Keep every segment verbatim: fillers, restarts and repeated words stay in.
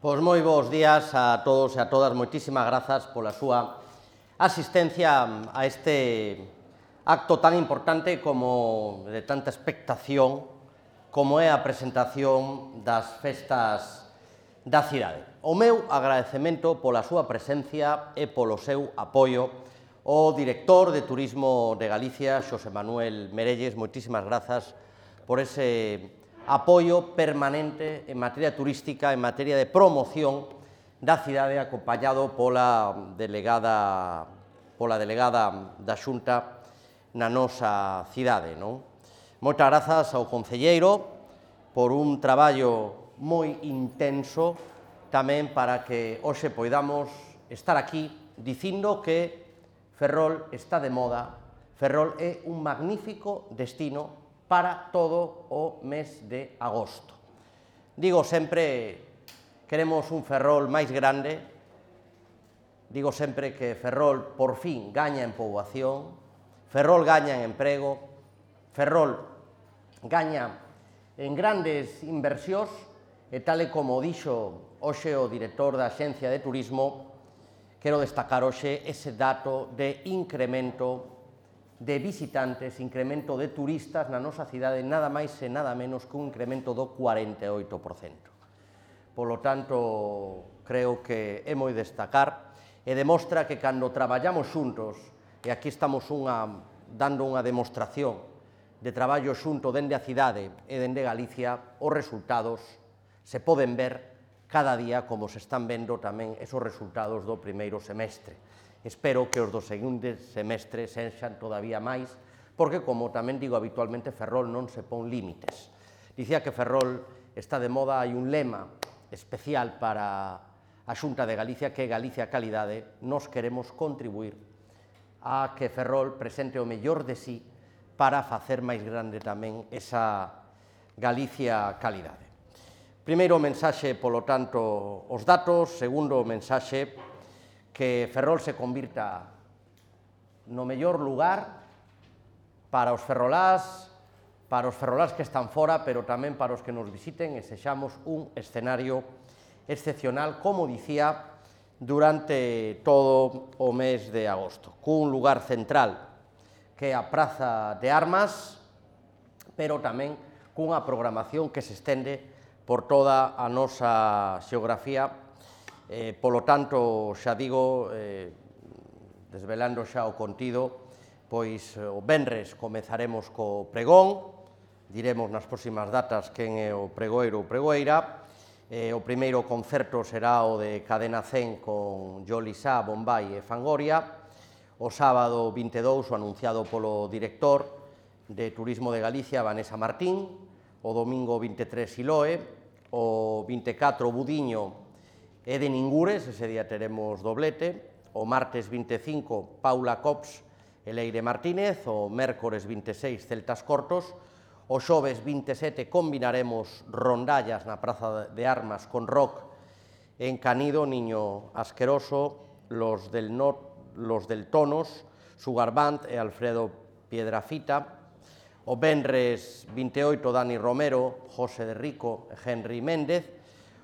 Pois moi bons días a todos e a todas, moitísimas grazas pola súa asistencia a este acto tan importante como de tanta expectación como é a presentación das festas da cidade. O meu agradecemento pola súa presencia e polo seu apoio ao director de Turismo de Galicia, Xosé Manuel Merelles. Moitísimas grazas por ese apoio permanente en materia turística, en materia de promoción da cidade, acompañado pola delegada, pola delegada da Xunta na nosa cidade, non? Moitas grazas ao concelleiro por un traballo moi intenso tamén para que hoxe poidamos estar aquí dicindo que Ferrol está de moda. Ferrol é un magnífico destino para todo o mes de agosto. Digo sempre, queremos un Ferrol máis grande, digo sempre que Ferrol por fin gaña en poboación, Ferrol gaña en emprego, Ferrol gaña en grandes inversións e tal e como dixo hoxe o director da Axencia de Turismo, quero destacar hoxe ese dato de incremento de visitantes, incremento de turistas na nosa cidade, nada máis e nada menos que un incremento do cuarenta e oito por cento. Polo tanto, creo que é moi destacar e demostra que cando traballamos xuntos, e aquí estamos unha, dando unha demostración de traballo xunto dende a cidade e dende Galicia, os resultados se poden ver cada día como se están vendo tamén esos resultados do primeiro semestre. Espero que os do segundo semestre sexan todavía máis, porque, como tamén digo habitualmente, Ferrol non se pon límites. Dicía que Ferrol está de moda, hai un lema especial para a Xunta de Galicia, que é Galicia Calidade. Nos queremos contribuir a que Ferrol presente o mellor de sí para facer máis grande tamén esa Galicia Calidade. Primeiro mensaxe, polo tanto, os datos. Segundo mensaxe, que Ferrol se convirta no mellor lugar para os ferrolás, para os ferrolás que están fora, pero tamén para os que nos visiten, e sexamos un escenario excepcional, como dicía, durante todo o mes de agosto, cun lugar central que é a Praza de Armas, pero tamén cunha programación que se estende por toda a nosa xeografía. Eh, polo tanto, xa digo, eh, desvelando xa o contido, pois o venres comezaremos co pregón, diremos nas próximas datas quen é o pregoeiro ou pregoeira. Eh, o primeiro concerto será o de Cadena cen con Jolisá, Bombay e Fangoria. O sábado vinte e dous, o anunciado polo director de Turismo de Galicia, Vanessa Martín. O domingo vinte e tres, Siloe. O vinte e catro, Budiño e de Ningures, ese día teremos doblete. O martes vinte e cinco, Paula Cops e Leire Martínez. O mércores vinte e seis, Celtas Cortos. O xoves vinte e sete combinaremos rondallas na Praza de Armas con rock en Canido, Niño Asqueroso, los del, no, los del Tonos, Sugar Band e Alfredo Piedrafita. O venres vinte e oito, Dani Romero, José de Rico e Henry Méndez.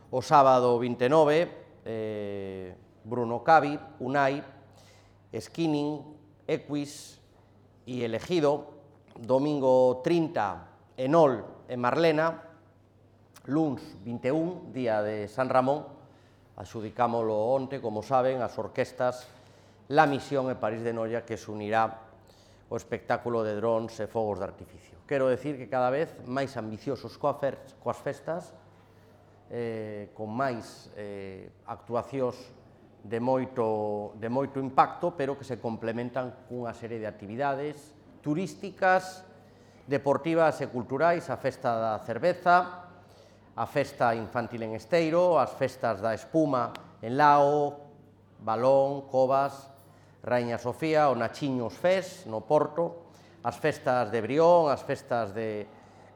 O sábado vinte e nove, eh, Bruno Cavi, Unai, Skinning, Equis e Elegido. Domingo trinta, Enol e Marlena. Luns vinte e un, día de San Ramón, adxudicámolo onte, como saben, as orquestas La Misión e París de Noia, que se unirá o espectáculo de drons e fogos de artificio. Quero decir que cada vez máis ambiciosos coas festas, eh, con máis eh, actuacións de moito, de moito impacto, pero que se complementan cunha serie de actividades turísticas, deportivas e culturais, a Festa da Cerveza, a Festa Infantil en Esteiro, as festas da espuma en Lao, Balón, Covas, Raíña Sofía, o Nachiños Fes, no Porto, as festas de Brión, as festas de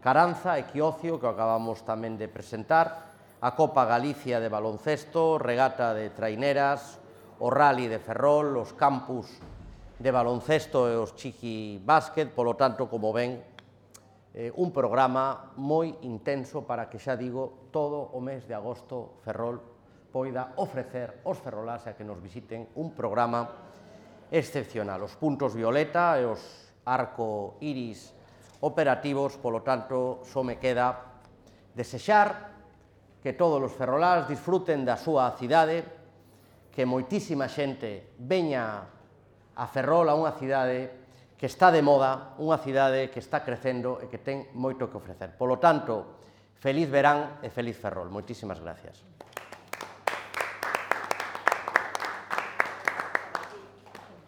Caranza e Quiocio, que acabamos tamén de presentar, a Copa Galicia de baloncesto, regata de traineras, o rally de Ferrol, os campus de baloncesto e os chiqui básquet. Polo tanto, como ven, eh, un programa moi intenso para que, xa digo, todo o mes de agosto Ferrol poida ofrecer aos ferrolás a que nos visiten un programa excepcional. Os puntos violeta e os arco iris operativos, polo tanto, só me queda desexar que todos os ferrolás disfruten da súa cidade, que moitísima xente veña a Ferrol, a unha cidade que está de moda, unha cidade que está crecendo e que ten moito que ofrecer. Polo tanto, feliz verán e feliz Ferrol. Moitísimas gracias.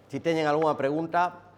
Si teñen algunha pregunta...